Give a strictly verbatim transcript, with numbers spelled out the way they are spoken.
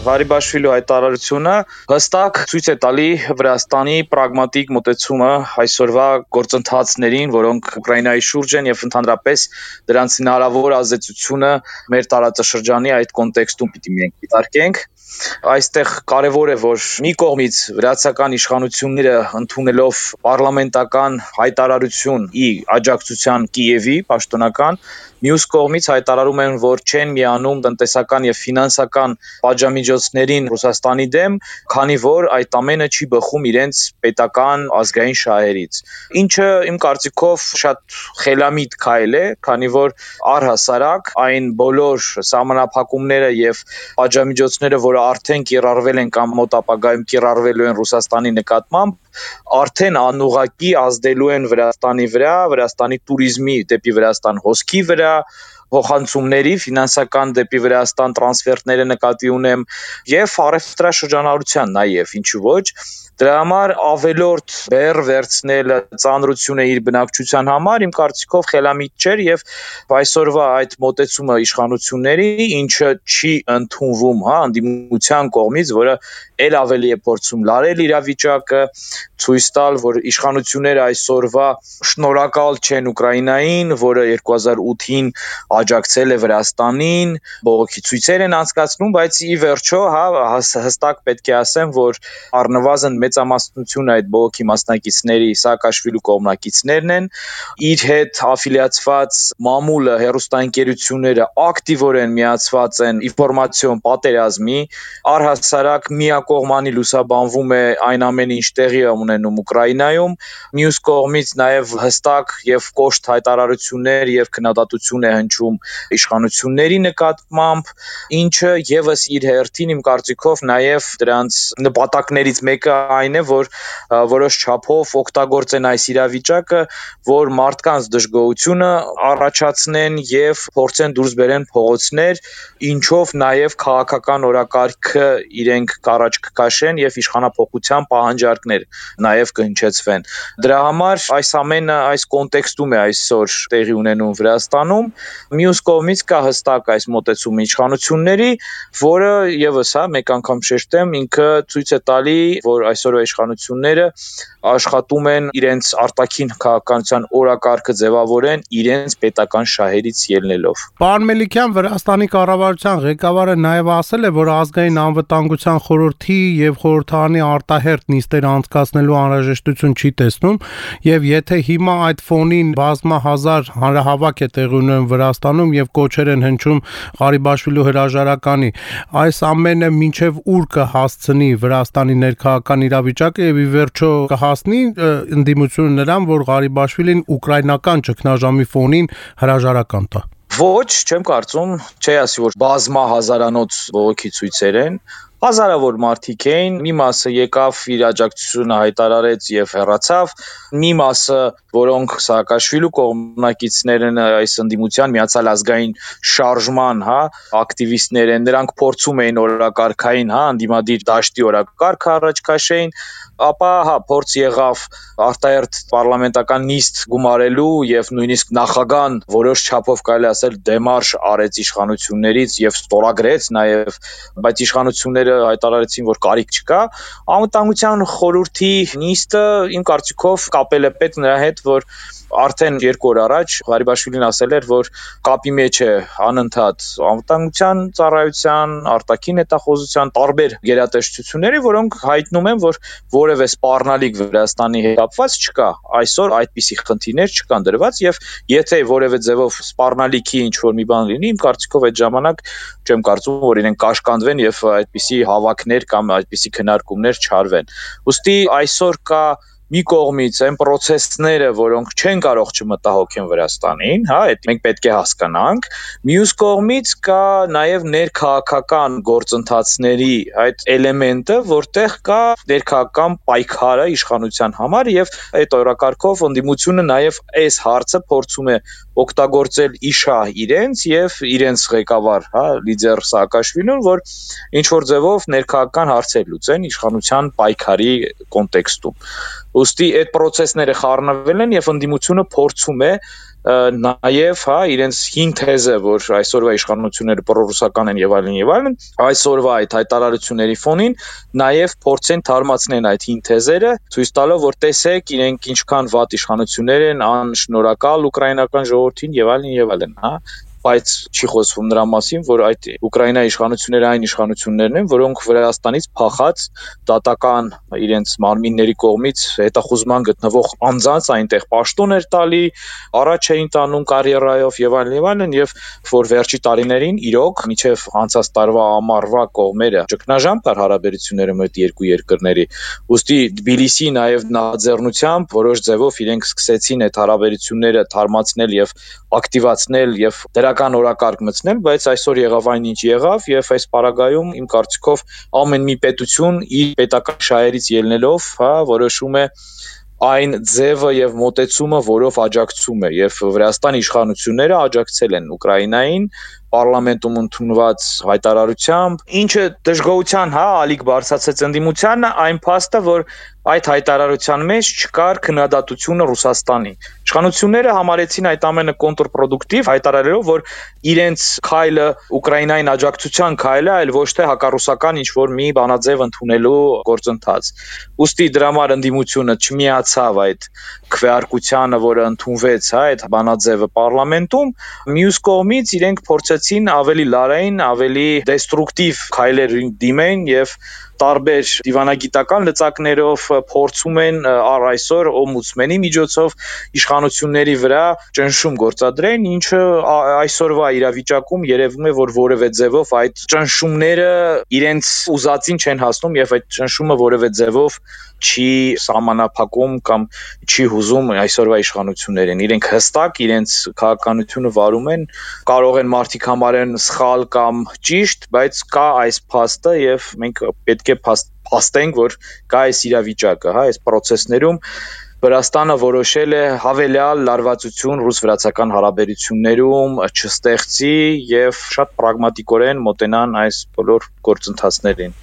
Ղարիբաշվիլու հայտարարությունը հստակ ցույց է տալի Վրաստանի պրագմատիկ մոտեցումը այսօրվա գործընթացներին, որոնք Ուկրաինայի շուրջ են եւ ընդհանրապես դրանց հնարավոր ազդեցությունը մեր տարածաշրջանի այդ կոնտեքստում պիտի մենք դիտարկենք։ Այստեղ կարևոր է, որ մի կողմից վրացական իշխանությունները ընդունելով պարլամենտական հայտարարություն ի աջակցության Կիևի պաշտոնական, մյուս կողմից հայտարարում են, որ չեն միանում տնտեսական եւ ֆինանսական պատժամիջոցներին Ռուսաստանի դեմ, քանի որ այդ ամենը չի բխում իրենց պետական ազգային շահերից։ Ինչը իմ կարծիքով շատ խելամիտ քայլ է, քանի որ առհասարակ այն բոլոր սահմանափակումները եւ պատժամիջոցները, որը արդեն կիրառվել են կամ մոտ ապագայում կիրառվելու են Ռուսաստանի նկատմամբ, արդեն անուղղակի ազդելու են Վրաստանի վրա, Վրաստանի туриզմի դեպի Վրաստան հոսքի վրա, փոխանցումների ֆինանսական դեպի Վրաստան տրանսֆերտները նկատի ունեմ եւ առևտրաշրջանառության նաեւ ինչու ոչ դրա համար ավելորդ բեռ վերցնել ծանրությունը իր բնակչության համար իմ կարծիքով խելամիտ չէր եւ այսօրվա այդ մոտեցումը իշխանությունների ինչը չի ընդունվում, հա, անդիմության կողմից, որը ել ավելի է փորձում լարել իրավիճակը, ցույց տալ, որ իշխանությունները այսօրվա շնորհակալ չեն Ուկրաինային, որը երկու հազար ութին աջակցել է Վրաստանին, բողոքի ցույցեր են անցկացնում, բայց ի վերջո, հա, հստակ պետք է ասեմ, որ առնվազն մեծամասնությունը այդ բողոքի մասնակիցների Սաակաշվիլու կողմնակիցներն են, իր հետ աֆիլիացված մամուլը, հեռուստաընկերությունները ակտիվորեն միացված են ինֆորմացիոն պատերազմի, առհասարակ միակողմանի լուսաբանվում է այն ամենը, ինչ տեղի է ունենում Ուկրաինայում, մյուս կողմից նաև հստակ եւ կոշտ հայտարարություններ եւ քննադատություն է հնչում իշխանությունների նկատմամբ, ինչը եւս իր հերթին իմ կարծիքով նաև դրանց նպատակներից մեկը այն է, որ որոշ չափով օգտագործեն այս իրավիճակը, որ մարդկանց դժգոհությունը առաջացնեն եւ փորձեն դուրս բերեն փողոցներ, ինչով նաեւ քաղաքական օրակարգը իրենք կառաջ կքաշեն եւ իշխանապողության պահանջարկներ նաեւ կհնչեցվեն։ Դրա համար այս ամենը այս կոնտեքստում է այսօր տեղի ունենում Վրաստանում։ Մյուս կողմից կա հստակ այս մոտեցումը իշխանությունների, որը եւս հա մեկ անգամ շեշտեմ, ինքը ցույց է տալի, որ այսօրվա իշխանությունները աշխատում են իրենց արտաքին քաղաքականության օրակարգը ձևավորեն իրենց պետական շահերից ելնելով։ Պարոն Մելիքյան, Վրաստանի կառավարության ղեկավարը նաև ասել է, որ ազգային անվտանգության խորհրդի եւ խորհրդարանի արտահերթ նիստեր անցկացնելու անհրաժեշտություն չի տեսնում, եւ եթե հիմա այդ ֆոնին բազմահազար հանրահավաք է տեղի ունենում Վրաստանում եւ կոչեր են հնչում Ղարիբաշվիլու հրաժարականի, այս ամենը մինչեւ ուր կհասցնի Վրաստանի ներքաղաքական իրավիճակը եւ ի վերջո կհասնի ընդդիմությունը նրան, որ Ղարիբաշվիլին ուկրաինական ճգնաժամի ֆոնին հրաժարական տա։ Ոչ, չեմ կարծում, չի ասի, որ բազմահազարանոց բողոքի ցույցեր են, հազարավոր մարդիկ էին, մի մասը եկավ իր աջակցությունը հայտարարեց եւ հեռացավ, մի մասը, որոնք Սաակաշվիլու կողմնակիցներ են այս ընդդիմության միացյալ ազգային շարժման, հա, ակտիվիստներ են, նրանք փորձում էին օրակարգային, հա, ընդդիմադիր դաշտի օրակարգը առաջ քաշեին, ապա հա փորձ եղավ արտահերթ պարլամենտական նիստ գումարելու եւ նույնիսկ նախագահան որոշ չափով կարելի ասել դեմարշ արեց իշխանություններից եւ ստորագրեց նաեւ, բայց իշխանությունները հայտարարեցին, որ կարիք չկա, անվտանգության խորհրդի նիստը իմ կարծիքով կապել է պետք նրա հետ, որ արդեն երկու օր առաջ Ղարիբաշվիլին ասել էր, որ կապի մեջ է անընդհատ անվտանգության ծառայության, արտաքին հետախուզության տարբեր գերատեսչությունների, որոնք հայտնում են, որ որևէ սպառնալիք Վրաստանի հետ կապված չկա։ Այսօր այդպիսի խնդիրներ չկան դրված եւ եթե որևէ ձևով սպառնալիքի ինչ որ մի բան լինի, իմ կարծիքով այդ ժամանակ չեմ կարծում, որ իրենք կաշկանդվեն եւ այդպիսի հավաքներ կամ այդպիսի քննարկումներ չարվեն։ Ոստի այսօր կա մի կողմից այն process-ները, որոնք չեն կարող չմտահոգեն Վրաստանին, հա, այդ մենք պետք է հասկանանք, մյուս կողմից կա նաև ներքաղաքական գործընթացների այդ էլեմենտը, որտեղ կա ներքաղաքական պայքարը իշխանության համար եւ այդ օրակարգով ընդդիմությունը նաև այս հարցը փորձում է օգտագործել իշահ իրենց եւ իրենց ղեկավար, հա, լիդեր Սաակաշվիլուն, որ ինչ որ ձևով ներքաղաքական հարցեր լուծեն իշխանության պայքարի կոնտեքստում։ Ոստի այդ process-ները խառնվել են եւ ընդդիմությունը փորձում է նաև հա իրենց հին թեզը, որ այսօրվա իշխանությունները պրոռուսական են եւ այլն եւ այլն, այսօրվա այդ հայտարարությունների ֆոնին նաև փորձեն թարմացնել այդ հին թեզերը, ցույց տալով, որ տեսեք, իրենք ինչքան վատ իշխանություններ են, անշնորհակալ ուկրաինական ժողովրդին եւ այլն եւ այլն, հա բայց չի խոսվում նրա մասին, որ այդ Ուկրաինայի իշխանությունները այն իշխանություններն են, որոնք Վրաստանից փախած դատական իրենց մարմինների կողմից հետախուզման գտնվող անձանց այնտեղ պաշտոն էր տալի, առաջ էին տանում կարիերայով եւ այլն եւ այլն եւ որ վերջի տարիներին իրոք միջև անցած տարվա ամառվա կողմերը ճգնաժամ կար հարաբերություններում այդ երկու երկրների։ Ոստի Թբիլիսի նաեւ նախաձեռնությամբ որոշ ձևով իրենք սկսեցին այդ հարաբերությունները թարմացնել եւ ակտիվացնել եւ դրական օրակարգ մտցնել, բայց այսօր եղավ այն ինչ եղավ եւ այս պարագայում իմ կարծիքով ամեն մի պետություն իր պետական շահերից ելնելով, հա, որոշում է այն ձևը եւ մոտեցումը, որով աջակցում է եւ Վրաստանի իշխանությունները աջակցել են Ուկրաինային պարլամենտում ընդունված հայտարարությամբ, ինչը դժգոհության, հա, ալիք բարձրացեց ընդդիմությանը, այն փաստը, որ այդ հայտարարության մեջ չկար քննադատությունը Ռուսաստանի։ Իշխանությունները համարեցին այդ ամենը կոնտրպրոդուկտիվ, հայտարարելով, որ իրենց քայլը Ուկրաինային աջակցության քայլ է, այլ ոչ թե հակառուսական ինչ-որ մի բանաձև ընդունելու գործընթաց։ Ոստի դրա համար ընդդիմությունը չմիացավ այդ քվեարկությանը, որը ընդունվեց, հա, այդ բանաձևը պարլամենտում, մյուս կողմից իրենք փորձեցին ավելի լարային, ավելի դեստրուկտիվ քայլեր դիմեն եւ տարբեր դիվանագիտական լծակներով փորձում են առ այսօր օմբուդսմենի միջոցով իշխանությունների վրա ճնշում գործադրեն, ինչը այսօրվա իրավիճակում երևում է, որ որևէ ձևով այդ ճնշումները իրենց ուզածին չեն հասնում եւ այդ ճնշումը որևէ ձևով չի սահմանափակում կամ չի հուզում այսօրվա իշխանություններին։ Իրենք հստակ իրենց քաղաքականությունը վարում են, կարող են մարդիկ համարեն սխալ կամ ճիշտ, բայց կա այս փաստը եւ մենք պետք է փաստենք, որ կա այս իրավիճակը, հա, այս process-ներում Վրաստանը որոշել է հավելյալ լարվածություն ռուս-վրացական հարաբերություններում չստեղծի եւ շատ պրագմատիկորեն մոտենան այս բոլոր գործընթացներին։